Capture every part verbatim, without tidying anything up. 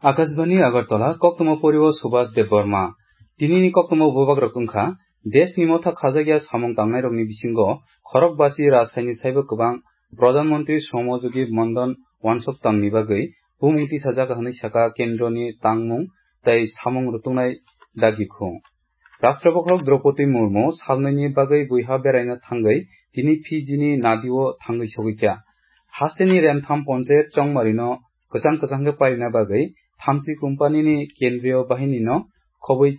Akashbani Agartala, koktwma poriwo Subhas Debbarma. Tinini koktwma bubagrok wngkha, deshni motha khajakya samung tangnairokni bisingo khorok basi rajhaini saibo kwbang Pradhan Mantri Shromojogi Mandhan wansok tangni bagwi bumung tisajak hwnwi saka kendroni tangmung tei samung rutungnai dagikhung. Rashtra Bokhorok Draupadi Murmu salnwini bagwi buiha beraina thangwi tini Fiji ni Nadi o thangwi sogwi kha. Hasteni Remtham Ponchayat Chongmari no kwchang kwchang khe pairina bagwi Thamchi Company ni Kendriyo Bahini no khobwi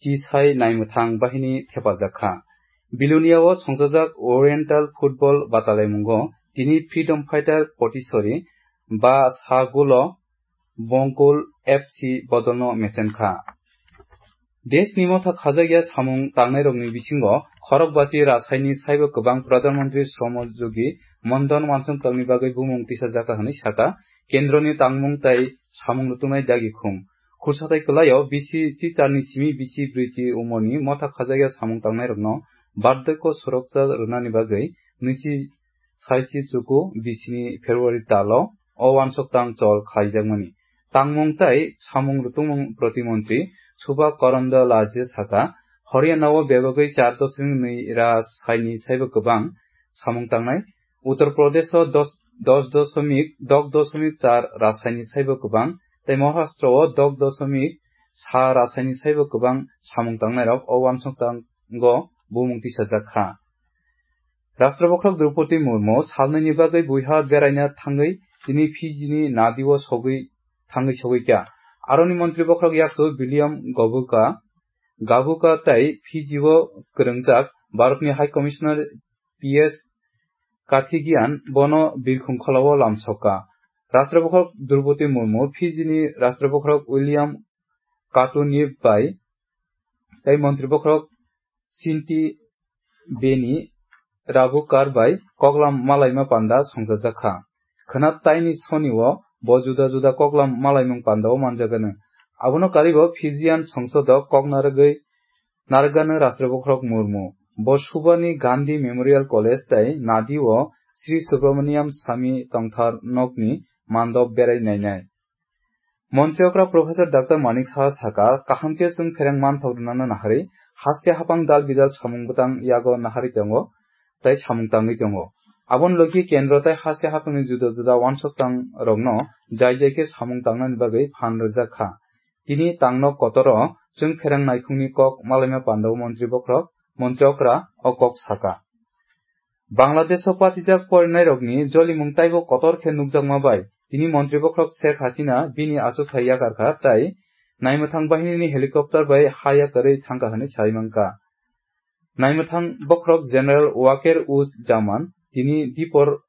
chisai naimwthang bahini thepajak kha. Bilonia o songchajak Oriental Football batalaimungo tini Freedom Fighter Potisori ba sa golo Bongkul F C bodolno mechen kha. Deshni motha khajakya samung tangnairokni bisingo khorok basi rajhaini saibo kwbang Pradhan Mantri Shromojogi Mandhan wansong tangni bagwi bumung tisajak hwnwi saka, kendroni tangmung tei samung rutungnai dagikhung. Khursathai kwlaio bisi chicharni simi bisi brwichi umorni motha khajakya samung tangnairokno bardwko suroksa rwnani bagwi nisi saisi chuku bisini February talo o wansok tang chol khlaijakmani. Tangmung tei samung rutungmung protimontri Subha Karandalaje saka, Haryana o bebagwi char dosomik nwi ra saini saibo kwbang samung tangnai, Uttar Pradesh o dos, dos dosomik, dok dosomik char ra saini saibo kwbang, tei Maharashtra o dok dosomik sa ra saini saibo kwbang samung tangnairok o wansok tango bumung tisajak kha. Rashtra Bokhorok Draupadi Murmu salnwini bagwi buiha beraina thangwi tini Fiji ni Nadi o sogwi thangwi sogwi kha. Aroni Montri Bokhorok yaktu William Gabuka, Gabuka tei Fiji o kwrwngjak Bharat ni High Commissioner P S Kathigian bono birkhung kholao lamsokha. Rashtra Bokhorok Draupadi Murmu Fiji ni Rashtra Bokhorok William Katuniv bai tei Montri Bokhorok Sinti Beni Rabukar bai koklam malaima panda songchajak kha. Khwna taini soni o bo juda juda koklam malaimung panda o manjagano. Abono karibo Fijian songsodo kok narwgwi narwgano Rashtra Bokhorok Murmu. Bo Subani Gandhi Memorial College tei Nadi o Sri Subramaniam Sami tongthar nokni mandop berai nainai. Montri okra Professor Doctor Manik Saha saka, kaham khe chwng phereng manthok rwnano naharwi, haste hapang dal bidal samung bwtang yago naharwi tongo, tei samung tangwi tongo. Aboni logi kendro tei haste hapangni juda juda wansok tang rokno jai jai khe samung tangnani bagwi phan rwjak kha. Tini tangno kotoro chwng phereng naikhungni kok malaima pandao Montri Bokhorok, Montri okra o kok saka. Bangladesh o patijak porinairokni jolimung taibo kotor khe nukjakma bai, tini Montri Bokhorok Sheikh Hasina bini achukthai yakar kha tei naimwthang bahinini helicopter bai ha yakarwi thangkha hwnwi sai mankha. Naimwthang Bokhorok General Waker Uz Zaman tini dipor,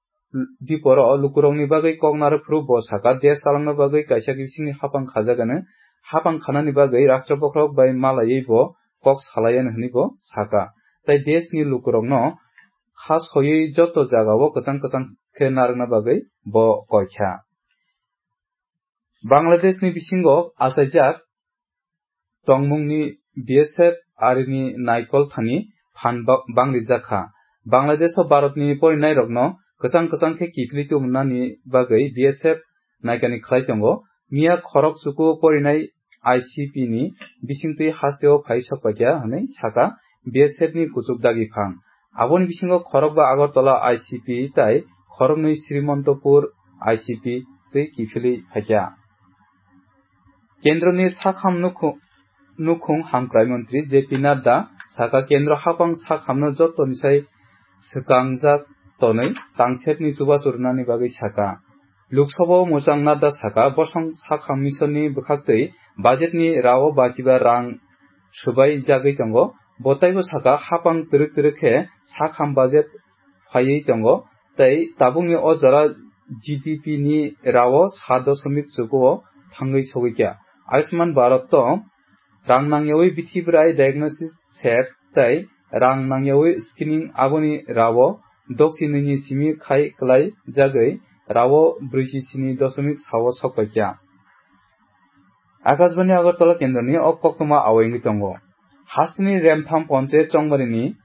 diporo lukurokni bagwi kok narwk phuru bo saka, desh chalangna bagwi kaisa bisingni hapang khajakgano, hapang khanani bagwi Rashtra Bokhorok bai malaiwi bo kok salaiya hwnwi bo saka. Tei deshni lukurokno kha soiwi joto jagao kwchang kwchang khe narwkna bagwi bo koikha. Bangladeshni bisingo achaijak tongmungni B S F arini naikol thani phan ba-, bangrijak kha. Bangladesh o Bharatni porinairokno kwchang kwchang khe kiphilwi tubunani bagwi B S F naikani khlai tongo. Miya khorok chuku porinai I C P ni bisingtwi hasteo phai sokpaikha hwnwi saka B S F ni kuchuk dagiphang. Aboni bisingo khorokba Agartala I C P tei khoroknwi Srimontopur I C P twi kiphilwi phaikha. Kendroni sakham nukhu-, nukhung hamkrai montri J P Nadda saka, kendro hapang sakhamno jotoni sai swkangjak tonwi tangserni chubachu rwnani bagwi saka. Lok Sabha o mwchang Nadda saka, bosong sakham misonni bwkhaktwi budget ni rao bachiba rang swbai jagwi tongo. Bo taibo saka, hapang twrwk twrwk khe sakham budget phaiwi tongo, tei tabukni o jora G D P ni rao sa dosomik chuku o thangwi sogwi kha. Ayushman Bharat o rang nangyawi bithi bwrai diagnosis set tei rang nangyawi screening aboni rao dokchinini simi khai kwlai jagwi rao brwichi sini dosomik sao sokpaikha. Akashbani Agartala kendroni o koktwma awai wngwi tongo. Hasteni Remtham Ponchayat Chongmarini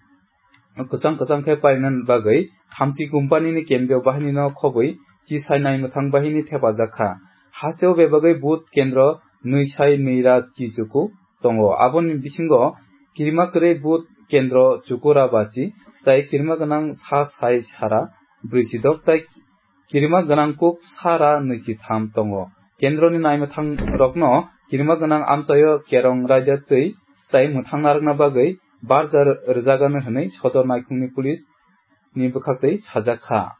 kwchang kwchang khe pairina bagwi Thamchi Company ni kendriyo bahinino khobwi chisai naimwthang bahini thepajak kha. Hasteo bebagwi booth kendro nwi sai nwi ra chi chuku tongo. Aboni bisingo kirima kwrwi booth kendro chuku ra bachi, tai kirima gwnang sa sai sara brwi chi dok, tai kirima gwnang kuk sara nwi chi tham tongo. Kendroni naimwthang rokno kirima gwnang amchaio kerong raida twi tai mwthang narwkna bagwi barja rwjagano hwnwi Sodor Naikhungni police ni bwkhaktwi sajak kha.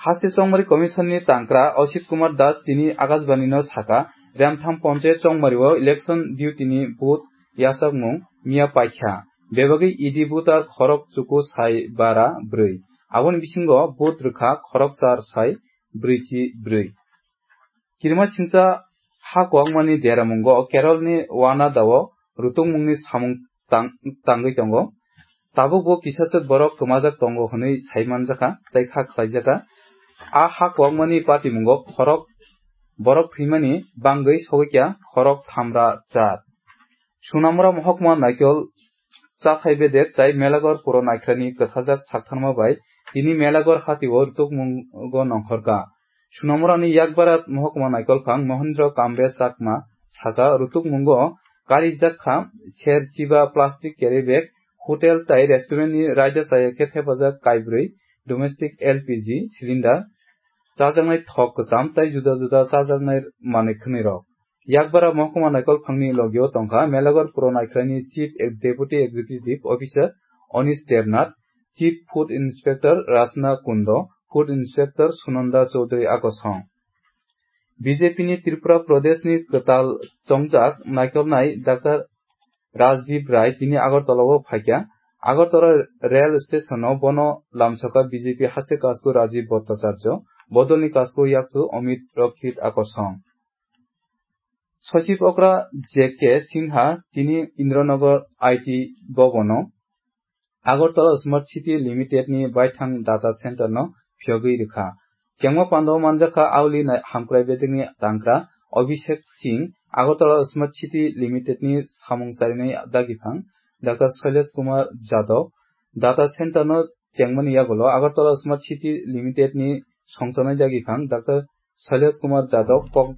Haste Chongmari Commission ni tangkra Osit Kumar Das tini Akashbani no saka, Remtham Ponchayat Chongmari o election duty ni booth yachakmung miya paikha. Bebagwi E D voter khorok chuku sai bara brwi. Aboni bisingo booth rwkha khorok char sai brwi chi brwi. Kirima singsa ha kwbangmani deramungo Keralni Wanadao rutungmungni samung tang-, tangwi tongo. Tabukbo kisaswk borok kwmajak tongo hwnwi sai manjakha tei kha khlaijakha. A ha kwbangmani patimungo khorok borok thwimani bangwi sogwikya khorok thamra char. Sunamura mohokma Naikhol chathai bedek tai Melagor puro Naikhlani kwthajak saktharma bai tini Melagor hatio rwtukmungo nongkhorkha. Sunamurani Yakbara mohokma Naikhol phang Mohendra Kambe Chakma saka rwtukmungo karijak kha ser chiba plastic carry bag, hotel tai restaurant ni raida chaya khe thepajak kaibrwi domestic L P G cylinder, chajaknai thok kwcham tai juda juda chajaknai manwi khwnwi rok. Yakbara mohokma Naikhol phangni logio tongkha Melagor puro Naikhlani Chief Ex-, Deputy Executive Officer Onish Devnath, Chief Food Inspector Rachna Kundo, Food Inspector Sunanda Chaudhary Akosong. B J P ni Tripura Pradesh ni kwtal chongjak naikolnai Doctor Rajdeep Rai tini Agartala o phaikha. Agartala rail station o bono lamsoka B J P haste kasku Rajiv Bhattacharya, bodolni kasku yakchu Amit Rakshit Akosong. Sochib okra J K Sinha tini Indranagar I T Bhavan o Agartala Smart City Limited ni baithang data center no phiyogwi rwkha. Chengma pando manjakha auli nai-, hamkrai bedekni tangkra Abhishek Singh, Agartala Smart City Limited ni samung charinai dagiphang Doctor Shailesh Kumar Jadhav, data center no chengmani yagulo Agartala Smart City Limited ni songchonai dagiphang Doctor Shailesh Kumar Jadhav kok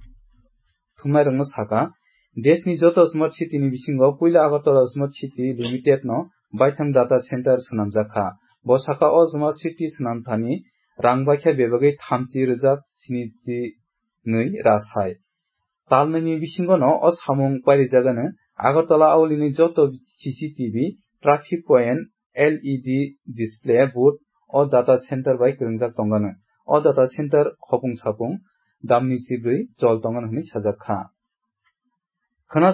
thumnairokno saka, deshni joto Smart City ni bisingo puila Agartala Smart City Limited no baithang data center swnamjak kha. Bo saka o Smart City swnam thani rang baikha bebagwi thamchi rwjak sinichi nwi ra sai. Talnwini bisingono o samung pairijagano Agartala aulini joto C C T V, traffic point, L E D display board o data center bai kwrwngjak tongano. O data center khopung sapung damni chibrwi chol tongano hwnwi sajak kha. Khwna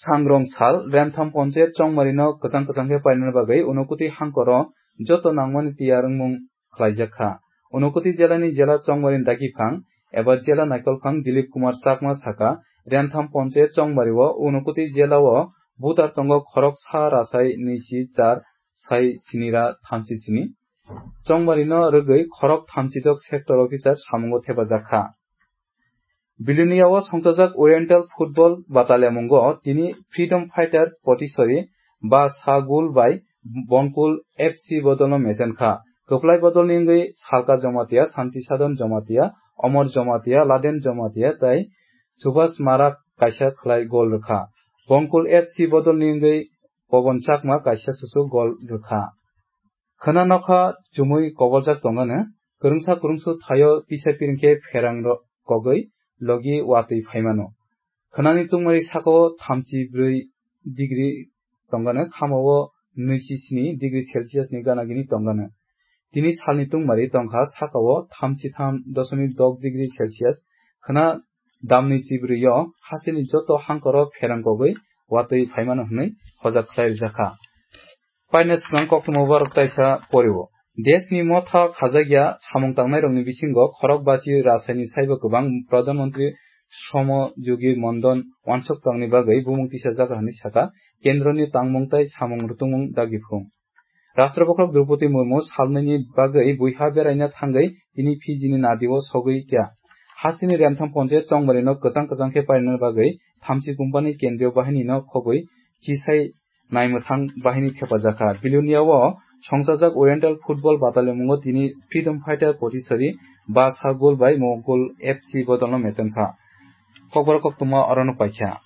sangrong sal Remtham Ponchayat Chongmarino kwchang kwchang khe painani bagwi Unakoti hangkoro joto nangmani tiyar wngmung khlaijak kha. Unakoti jelani jela chongmari dagiphang eba jela naikolphang Dilip Kumar Chakma saka, Remtham Ponchayat Chongmario Unakoti jelao voter tongo khorok sa rasai nwi si char sai sini ra thamchi sini. Chongmarino rwgwi khorok thamchi dok sector officer samungo thepajak kha. Biluniao songchajak Oriental Football Bataliamungo tini Freedom Fighter Potisori ba Sagul bai Bonkul F C bodolno mechen kha. Kwplai bodolni wngwi Salka Jomatia, Santi Sadon Jomatia, Omor Jomatia, Laden Jomatia tai Subhas Marak kaisa khlai gol rwkha. Bonkul F C bodolni wngwi Pobon Chakma kaisa susu gol rwkha. Khwna nokha chumui koboljak tongano, kwrwngsa kwrwngsu thaio pisa piring khe pherang ro-, kogwi logi watwi phaimano. Khwnani tungmari sakao thamchi brwi degree tongano, khamao nwi si sini degree Celsius ni gana gini tongano. Tini salni tungmari tongkha sakao thamchi tham doshomik dok degree Celsius. Khwna damni chibrwi o hasteni joto hangkoro pherang kogwi watwi phaimano hwnwi hojak khlai rijak kha. Paina swkang koktwma borok taisa porio. Deshni motha khajakya samung tangnairokni bisingo khorok bachi rasaini saibo kwbang Pradhan Mantri Shromo Yogi Mandhan wansuk tangni bagwi bumung tisajak hwnwi sakha, kendroni tangmung tai samung rwtwngmung dagiphung. Rashtra Bokhorok Droupadi Murmu salnwini bagwi buiha beraina thangwi tini Fiji ni nadio sogwi kya. Hasteni Remtham Ponchayat Chongmarino kwchang kwchang khe parinani bagwi thamchi company kendriyo bahinino khogwi chisai naimwthang bahini thepajakha. Biluniao Songchajak Oriental Football Batalimungo tini Freedom Fighter Potisari ba sa gol bai Mongol F C bodolno mechenkha. Kokborok koktwma orono paikha.